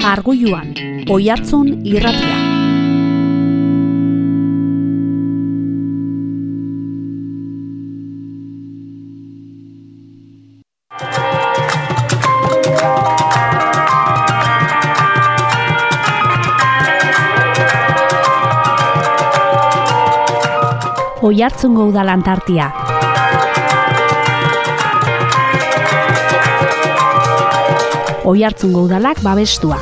Argoiluan, Oihartzun irratia. Oihartzungo udalan tartia. Oihartzungo udalak babestua.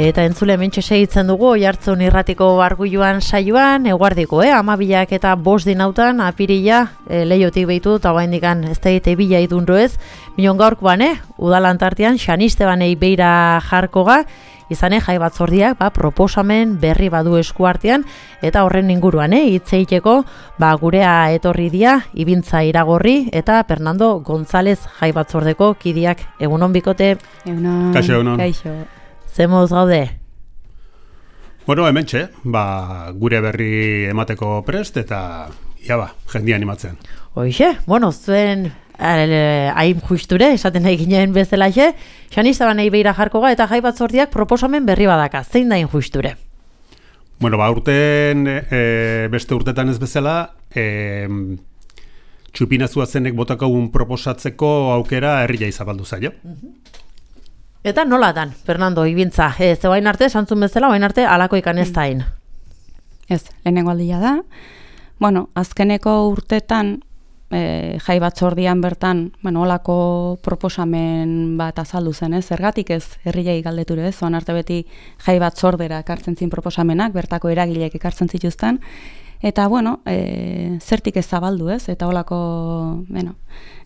Eta entzule mentxe segitzen dugu Oihartzun irratiko Argoiluan saioan, eguardiko, 12 eta 5 dinautan, apirila, leiotik behitu, eta oraindikan ez da egite bila idunro ez, minon gaurkoan, udalan tartean, Xanistebanei beira jarkoga, izane jai batzordiak proposamen berri badu esku artean, eta horren inguruan hitz egiteko gurea etorri dia Ibintza Iragorri eta Fernando González jai batzordeko kidiak. Egunon bikote. Egunon. Kaixo, egunon. Kaixo. Zemoz gaude? Bueno, hementxe, gure berri emateko prest eta jendia animatzen. Hoixe, zuen hain justure, esaten nahi ginen bezalaxe, Xanistebanei beira jarkoga eta jai batzordiak proposamen berri badaka. Zein da hain justure? Urten, beste urtetan ez bezala, txupinazua zenek botakagun proposatzeko aukera herria izabaldu zaio. Eta nolatan, Fernando, Ibintza, ze bain arte, santzun bezala, bain arte, alako ikan ez da hain? Ez, lehenengo aldia da. Azkeneko urtetan, jai batzordian bertan, olako proposamen bat azaldu zen, zergatik ez herriai galdeture, oan arte beti jai batzordera ekartzen zin proposamenak, bertako eragileek ekartzen zituzten, eta zertik ez zabaldu, eta olako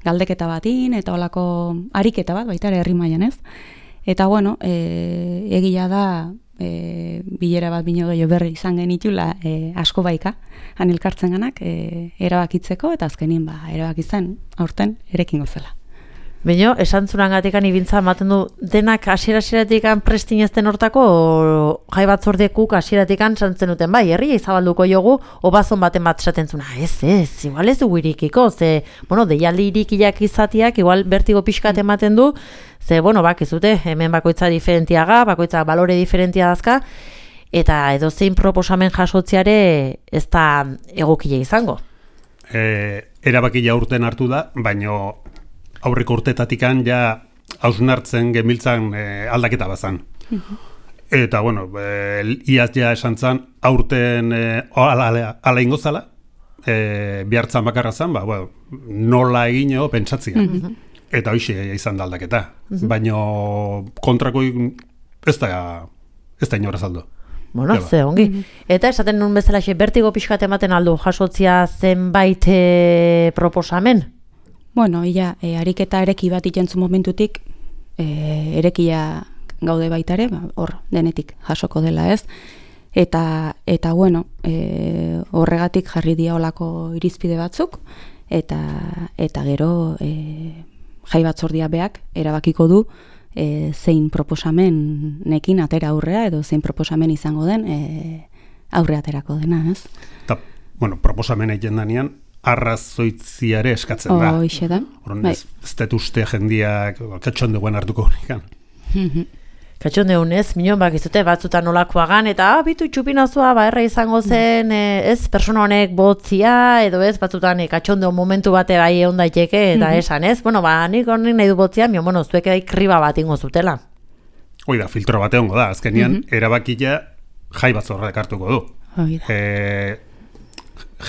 galdeketa batin, eta olako ariketa bat, baita ere herri mailan, eta egia da bilera bat bino gehiago berri izan genitula asko baika, han elkartzen ganak erabakitzeko, eta azkenin erabakitzen aurten erekin gozela. Bino, esantzunan gatikan Ibintza ematen du denak hasiera-hasieratik prestinezten hortako jai batzordekuk hasieratik santzen duten herria izabalduko jogu, obazon baten bat esaten zuna, igual ez dugu irikiko, deialdi irikiak izatiak, igual bertigo pixkat ematen du, bakizute, hemen bakoitza diferentiaga, bakoitza balore diferentia dazka, eta edozein proposamen jasotziare ez da egokile izango. Erabakia urten hartu da, baino aurreko urtetatikan hausnartzen gemiltzan aldaketa bazan. Eta, iaz esan zan, aurten ala ingo zala, bihartzan bakarra zan, nola egin pentsatzia. Eta hoxe izan da aldaketa. Baina kontrako ez da inora saldo. Ze ongi. Eta esaten nun bezala bertigo pixkat ematen aldu jasotzia zenbait proposamen? Ariketa ereki bat itentzu momentutik, erekia gaude baitare, hor denetik jasoko dela ez, eta horregatik jarri dia olako irizpide batzuk, eta gero jai batzordia beak erabakiko du zein proposamenekin atera aurrea, edo zein proposamen izango den aurre aterako dena, ez? Eta, proposamen egin danean, arrazoitziare eskatzen da. Hoxe da. Ez dut uste jendiak katxondeuen hartuko horikan. Katxondeun ez, minon bakizute batzutan nolakoagan, eta bitu txupinazua erra izango zen, ez, persona honek botzia, edo ez, batzutan katxondeun momentu bate bai egon daiteke, eta esan ez, nik honik nahi du botzia, zuek kriba bat ingo zutela. Hoi da, filtro bat egongo da, azkenian erabakia jai batzorrak hartuko du.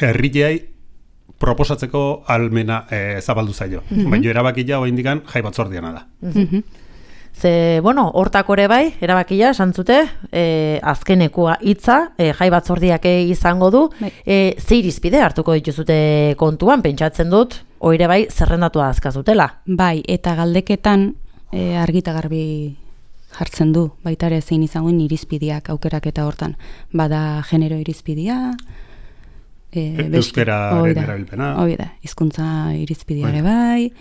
Herriai proposatzeko almena zabaldu zaio. Baina erabakia oraindikan jai batzordiana da. Ze, hortako ere bai, erabakia, santzute, azkenekua hitza, jai batzordiak izango du, ze irizpide hartuko dituzute kontuan, pentsatzen dut, oire bai, zerrendatua azkazutela. Bai, eta galdeketan argita garbi jartzen du, baita ere zein izangoen irizpideak aukerak eta hortan. Bada genero irizpidea, euskararen erabilpena. Hizkuntza irizpideare bai,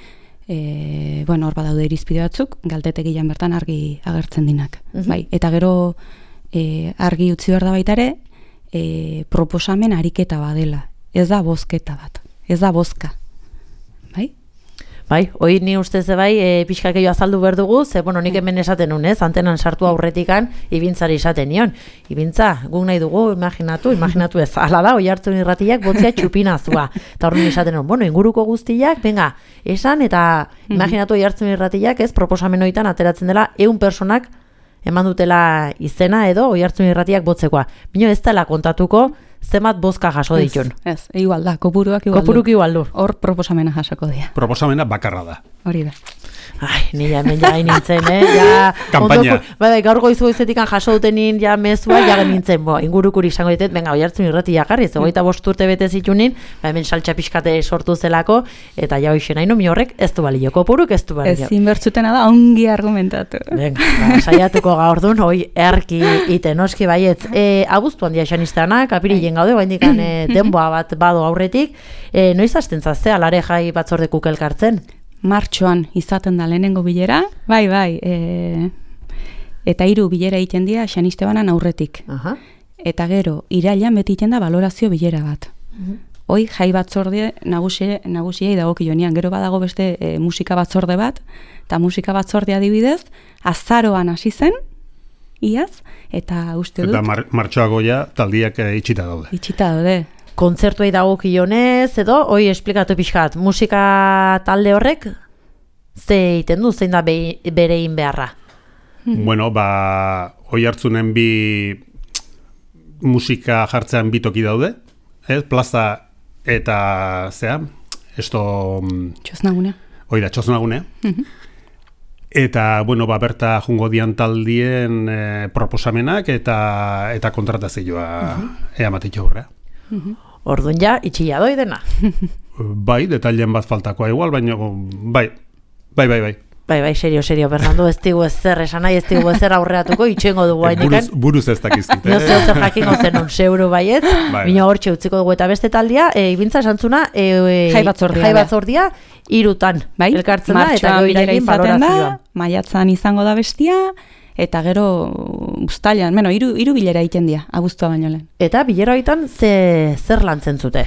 hor badaude irizpide batzuk, galdetegian bertan argi agertzen dinak. Bai, eta gero argi utzi behar da baita ere, proposamen ariketa badela. Ez da bozketa bat, ez da bozka. Bai? Bai, hoi ni ustez bai, pixkakeio azaldu behar dugu, ze, bueno, nik hemen esaten nun, antenan sartu aurretikan, ibintzari esaten nion. Ibintza, guk nahi dugu, imaginatu ez, ala da, Oiartzun irratiak botzea txupinazua. Eta horren esaten nun, bueno, inguruko guztiak, venga, esan, eta imaginatu Oiartzun irratiak, ez, proposamen hoitan ateratzen dela 100 personak eman dutela izena edo Oiartzun irratiak botzekoa. Bino ez dela kontatuko, zenbat bozka jaso ditun. Ez, igual da, kopuruak igual du. Kopuruk igual du. Hor proposamena jasoko dira. Proposamena bakarra da. Hori da. Ai, nila hemen ja nintzen, ja... Kampaina. Bai, gaur goizu-goizetik jaso dutenin ja mezua, ja nintzen, ingurukuri izango ditet, venga, Oiartzun irratia jarri, 25 urte bete zitunin, hemen saltxa pixkate sortu zelako, eta ja hoixen haino, mi horrek ez du balio, kopuruk ez du balio. Ez inbertzutena da, ongi argumentatu. Venga, saiatuko gaur dun, hoi erki iten, oski baietz. Abuztuan dia esan iztanak, apirilen gaude, baindikan denboa bat bado aurretik, noiz hasten zazte, alare jai batzordekuk elkartzen? Martxoan izaten da lehenengo bilera, bai, eta 3 bilera egiten dira Xanistebanan aurretik. Eta gero, irailan beti egiten da balorazio bilera bat. Hoi, jai batzorde nagusiei dagokionean, gero badago beste musika batzorde bat, eta musika batzordea adibidez, azaroan hasi zen, iaz, eta uste dut... Eta martxoago ja taldiak itxita daude. Itxita daude. Kontzertuei dagokionez edo, hoi esplikatu pixkat, musika talde horrek ze egiten du, zein da bere egin beharra? Bueno, Oiartzunen bi musika jartzean bi toki daude, plaza eta zea, Txosnagunea. Hoi da, Txosnagunea. Eta, bueno, berta jungo dian taldien proposamenak eta kontratazioa eamatitxo horrea. Orduan ja, itxilla doi dena. Bai, detailen bat faltakoa igual, baina bai. Bai, serio, Fernando, ez digu ezer esan nahi, ez digu ezer aurreatuko, itxengo dugu hainikan. Buruz ez dakizkit. No zer jakingo zenun, zeuro baiet, bina hortxe utziko dugu eta beste taldia, ibintza esantzuna, jai batzordia, 3 elkartzen da, eta gero irailin balorazioa. Maiatzan izango da bestia, eta gero uztailan, hiru bilera egiten dira, abuztua baino lehen. Eta bilera horietan zer lantzen zute?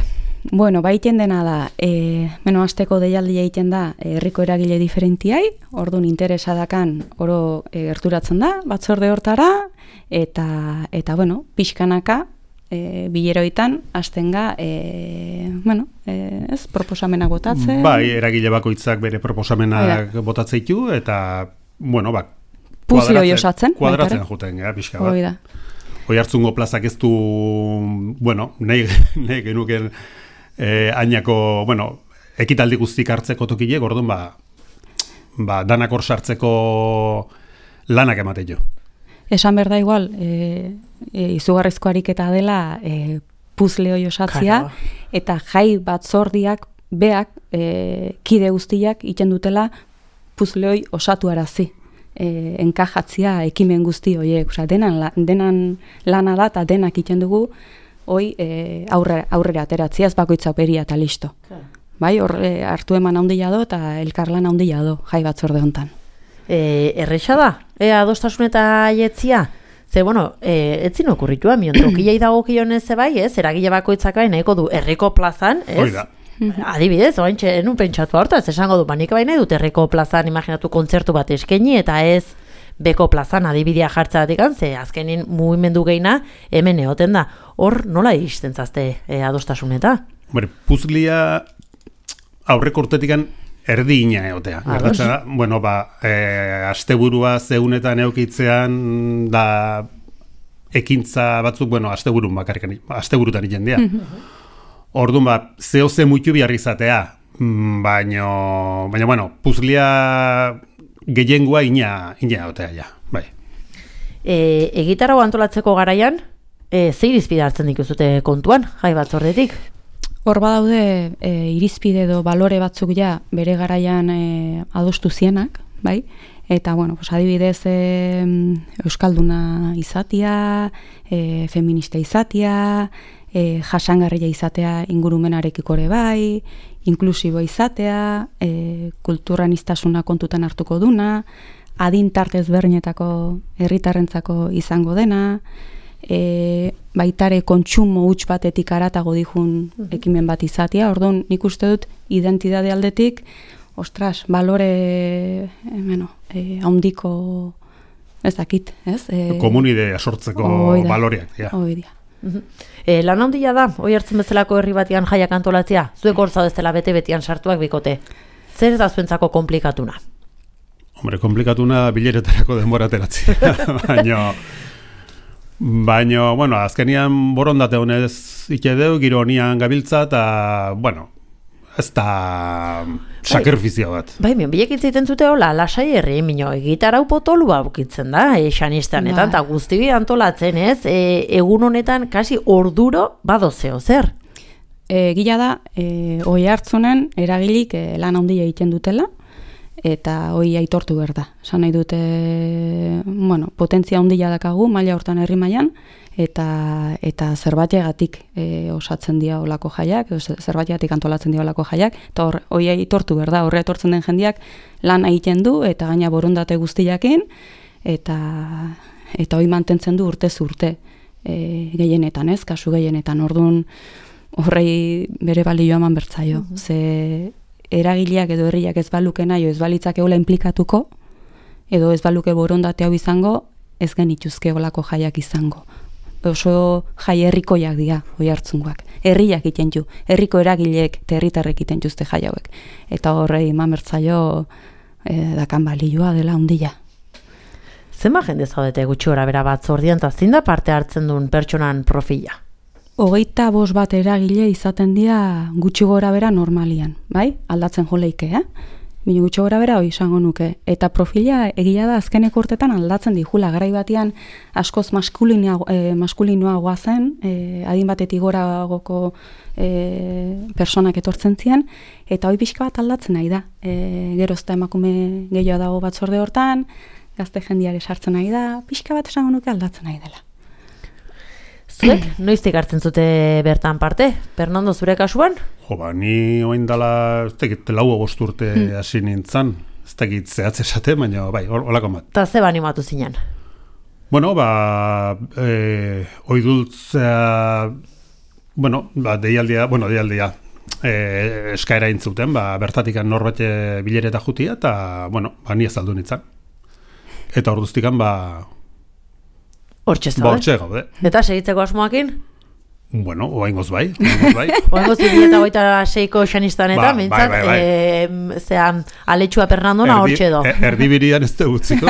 Bueno, egiten dena da, asteko deialdia egiten da herriko eragile diferentiai, orduan interesadakan oro gerturatzen da, batzorde hortara, eta pixkanaka, bilera horietan, hastenga, proposamenak botatzen. Bai, eragile bakoitzak bere proposamenak botatzeitu, eta, puzle hoi osatzen. Kuadratzen juten, pixka bat. Hoi da. Oiartzungo plazak ez du, nahi genuken ainako, ekitaldi guztik hartzeko tokilek, orduan danak hor sartzeko lanak emate jo. Esan berda igual, izugarrizko ariketa dela puzle hoi osatzia, eta jai batzordiak, beak, kide guztiak iten dutela puzle hoi osatu arazi. Enkajatzia ekimen guzti horiek, denan lana da eta denak iten dugu hoi aurrera ateratzia, ez bakoitza peria eta listo. Bai, hor hartu eman handia do eta elkarlan handia do jai batzorde hontan. Erresa da, adostasun eta aietzia? Ze, etzin okurritua, miontrokilei dago kionez bai, ez, eragile bakoitzak bai nahiko du herriko plazan, ez? Hoi da. Adibidez, oaintxe, enun pentsatu hortaz, esango du, nik baina dut herriko plazan imaginatu kontzertu bat eskaini, eta ez beko plazan adibidea jartza batekan, ze azkenin mugimendu gehiena hemen egoten da. Hor, nola iristen zazte adostasuneta? Puzlia aurreko urtetikan erdi ina egotea. Asteburua zeunetan eukitzean da ekintza batzuk, asteburutan egiten dira. Orduan, zehose muitu bihar izatea, baina, puzlia gehiengoa ina egotea, ja, bai. Egitarra antolatzeko garaian, ze irizpide hartzen dituzute kontuan, jai batzordetik? Hor badaude irizpide edo balore batzuk ja bere garaian adostu zienak, bai? Eta, adibidez, euskalduna izatea, feminista izatea, jasangarria izatea ingurumenarekiko ere bai, inklusibo izatea, kulturaniztasuna kontutan hartuko duna, adintartez bernetako herritarrentzako izango dena, baitare kontsumo huts batetik aratago dijun ekimen bat izatea. Orduan, nik uste dut identitate aldetik ostras, balore, handiko, ez dakit, ez? Komunidea sortzeko baloreak, ja. Oidia. Lan handia da, Oiartzun bezalako herri batian jaiak antolatzea, zuek hor zaudeztela bete-betian sartuak bikote. Zer da zuentzako komplikatuna? Hombre, komplikatuna bileretarako denbora ateratzea, baina, bueno, azkenian borondate honez ikedeu, giro honian gabiltza, eta, bueno, ez da sakrifizio bat. Bai, bilek itzaiten zute hola, lasai herri, gitarau potolua bukitzen da, xanistanetan, eta guzti antolatzen ez, egun honetan kasi orduro badozeo, zer? Gila da, Oiartzunen eragilik lan handia egiten dutela, eta hoi aitortu behar da. Esan nahi dute, potentzia handia dakagu, maila hortan herri mailan, eta zerbaitegatik osatzen dira olako jaiak, zerbaitegatik antolatzen dira olako jaiak, eta hoi aitortu behar da, horre etortzen den jendiak lan egiten du, eta gaina borondate guztiakin, eta hoi mantentzen du urtez urte gehienetan, ez, kasu gehienetan, orduan horrei bere balioa eman bertzaio, ze eragileak edo herriak ez baluke nahi, ez balitzak egola implikatuko, edo ez baluke borondate hau izango, ez genituzke olako jaiak izango. Oso jai herrikoiak dira, Oiartzungoak. Herriak egiten du, herriko eragileek eta herritarrek egiten juzte jai hauek. Eta horrei eman bertzaio dakan balioa dela handia. Zenba jende zaudete gutxi gora bera batzordian, eta zein da parte hartzen duen pertsonan profila? 25 bat eragile izaten dira gutxi gora bera normalian, bai? Aldatzen joleike, Bino gutxi gora bera hori izango nuke. Eta profila egia da azkeneko urtetan aldatzen dijula. Garai batean askoz maskulinoagoa zen, adin batetik goragoko personak etortzen ziren, eta hori pixka bat aldatzen nahi da. Gerozta emakume gehiago dago batzorde hortan, gazte jendiare sartzen nahi da, pixka bat esango nuke aldatzen nahi dela. Zuek, noiztik hartzen zute bertan parte? Fernando, zure kasuan? Ni oain dala, ez tekit, 4 urte hasi nintzen, ez tekit zehatz esate, baina bai, holako bat. Eta ze animatu zinen? Bueno, oidultzea, deialdia, eskaera intzuten, bertatikan norbait bilereta jutia, eta, ni azaldu nintzen. Eta orduztikan, Hortxe zaude? Hortxe gaude. Eta segitzeko asmoakin? Oaingoz bai. Oaingoz 2026ko xanistanetan, mintzat, zean, aletxua Fernandona hortxe do. Erdibirian ez utziko.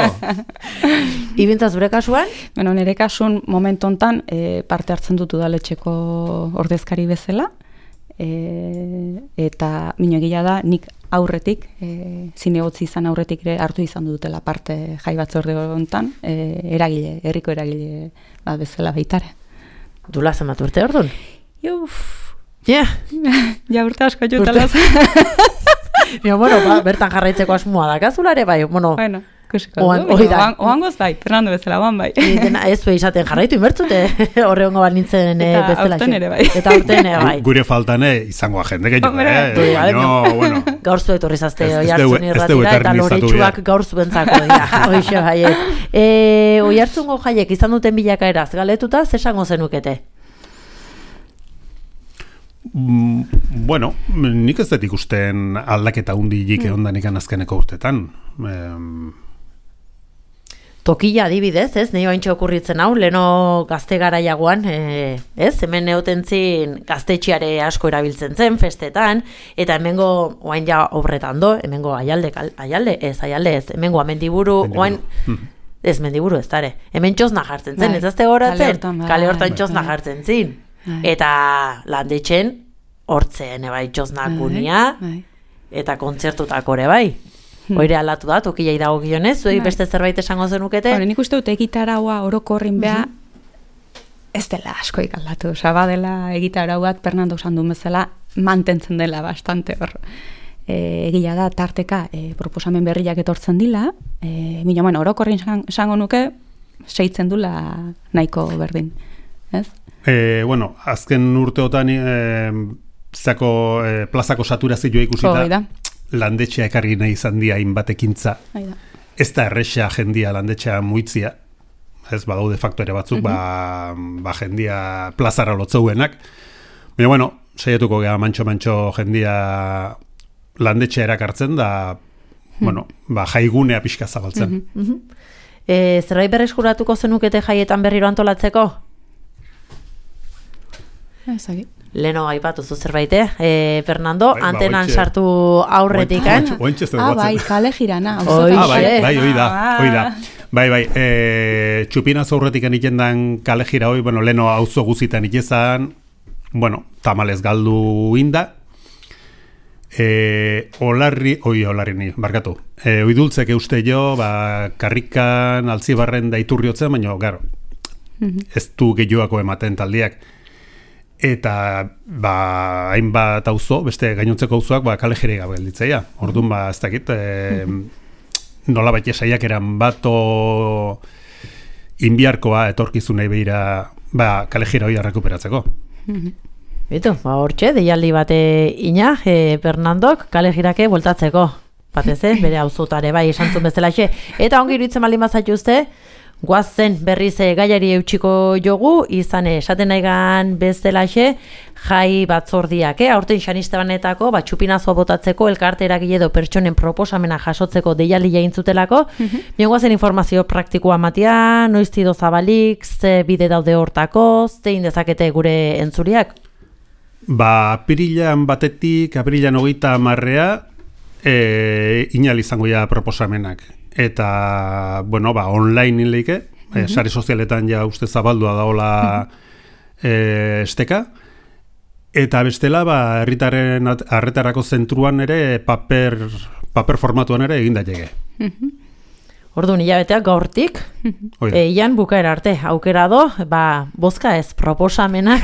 Ibintza zure kasuan? Nire kasun momentu hontan parte hartzen dut udaletxeko ordezkari bezala, eta minogila da, nik aurretik, zinegotzi izan aurretik ere hartu izan dutela parte jai batzorde hontan, herriko eragile bat bezala baitare. Dula zenbat urte orduan? Ja urte asko jutalaz. Bertan jarraitzeko asmoa da, kazulare bai, oangoz bai, Fernando bezala, oan bai. Ez du izaten jarraitu inbertzute, horre hongo bat nintzen bezala. Eta aurten ere bai. Eta aurten ere bai. Gure faltane izango jende gehiago. Gaur zu etorrizazte Oiartzun irratira, eta loritxuak gaur zuentzako dira. Oixe jaiek. Oiartzungo jaiek izan duten bilakaeraz, galetuta, zesango zenukete? Nik ez dut ikusten aldaketa hundilik ondanik azkeneko urtetan. Tokila adibidez, ez? Nei baintxo okurritzen hau, leno gazte garaiagoan, ez? Hemen neotentzin gaztetxiare asko erabiltzen zen, festetan, eta hemengo, oain ja obretan do, hemengo aialde, hemengo amendiburu, oain, ez mendiburu ez dare, hemen txosna jartzen zen, ez azte horatzen, kale hortan txosna jartzen zin, eta landetxen, hortzen, ebai, txosnak unia, eta kontzertutak ere bai. Oire aldatu da, tokilei dago gionez, zuei beste zerbait esango zenukete? Nik uste dut egitaraua orokorrin beha, ez dela askoik aldatu. Badela egitarau bat, Fernando esan duen bezala, mantentzen dela bastante hor. Egia da, tarteka proposamen berriak etortzen dila, orokorrin esango nuke, seitzen dula nahiko berdin. Ez? Azken urteotan plazako saturazioa ikusita, landetxea ekarri nahi izan dia hainbatekintza. Ez da erresa jendia landetxea muitzia, ez badaude faktore batzuk, jendia plazara lotzeuenak. Baina, saietuko geha mantxo jendia landetxea erakartzen da, bueno, jaigunea pixka zabaltzen. Zerbait berreskuratuko zenukete jaietan berriro antolatzeko? Ezagik. Leno aipatu zu zerbait, Fernando, antenan sartu aurretik, bai, kale jirana. Bai, hoi da. Bai, txupinaz aurretik egiten den kale jira hoi, bueno, leno auzo guzitan itezan, bueno, tamalez galdu inda, olarri ni, barkatu. Oidultzek euste jo, karrikan, altzibarren da iturriotzen, baina, garo, ez du gehioako ematen taldiak. Eta, hainbat auzo, beste gainontzeko auzoak, kale jire gabe gelditzeia. Orduan, ez dakit, nola baita saiak eran bato inbiarkoa etorkizunei behira, kale jira hori rekuperatzeko. Bitu, hortxe, deialdi bate ina, Fernandok, kale jirake voltatzeko. Batez, bere auzotare bai esantzun bezalaxe. Eta ongi iruditzen baldin bazatuzte, guazen berriz gaiari eutxiko jogu, izan esaten naigan bezalaxe, jai batzordiak, aurten xanistebanetako, txupinazoa botatzeko, elkarte eragile edo pertsonen proposamena jasotzeko deialdi egintzutelako, guazen informazio praktikoa matia, noiztido zabalik, ze bide daude hortako, zein dezakete gure entzuriak? Apirilan batetik, apirilan 30 inal izango ja proposamenak. Eta, bueno, online inleike, sare sozialetan ja uste zabaldua daola esteka, eta bestela, herritaren arretarako zentruan ere, paper formatuan ere egin daiteke. Orduan, hilabeteak gaurtik, eian bukaera arte, aukera do, bozka ez, proposamenak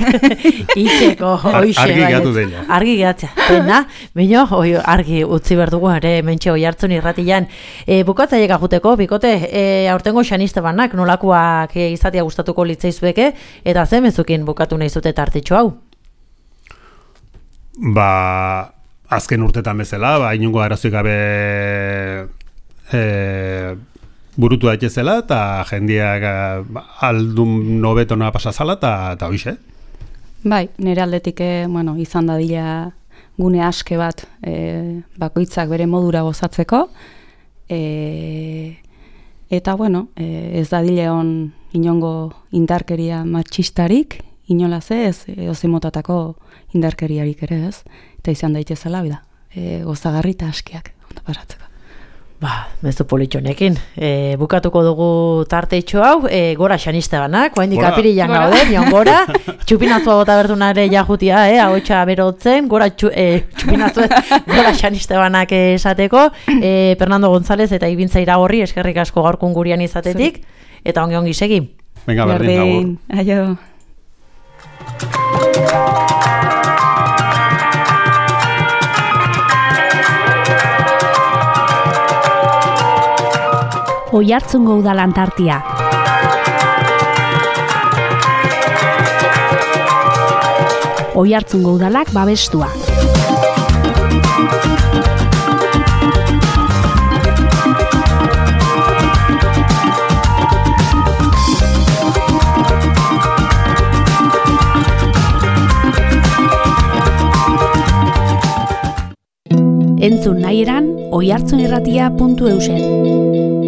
itxeko, hoixe. Argi gatu deia. Argi gatzea, pena, baina argi utzi berdugu, ere, mentxe Oiartzun irratian. Bukatzaiek ajuteko, bikote, aurtengo xanistebanak nolakoak izatea gustatuko litzaizueke, eta ze mezukin bukatu nahi zute tartitxo hau? Azken urtetan bezala, inungo arazoik gabe burutu daitezela, eta jendeak aldun nobetona pasazala, eta hoize. Bai, nire aldetik, izan dadila gune aske bat bakoitzak bere modura gozatzeko, eta, ez dadile on inongo indarkeria matxistarik, inolaz ez, ozimotatako indarkeriarik ere ez, eta izan daitezela, gozagarri eta askiak, ondo pasatzeko. Mezu politxonekin. Bukatuko dugu tarteitxo hau, gora xanistebanak, oaindik apirilan gaude, nion gora, txupinazua bota berdunare jajutia, haotxa berotzen, gora txupinazua, gora xanistebanak esateko, Fernando González eta Ibintza Iragorri, eskerrik asko gaurkun gurian izatetik, eta ongi segi. Venga, berdin, aio. Oiartzungo udalantartia. Oiartzungo udalak babestua. Entzun nahi eran, oiartzunirratia.eusen.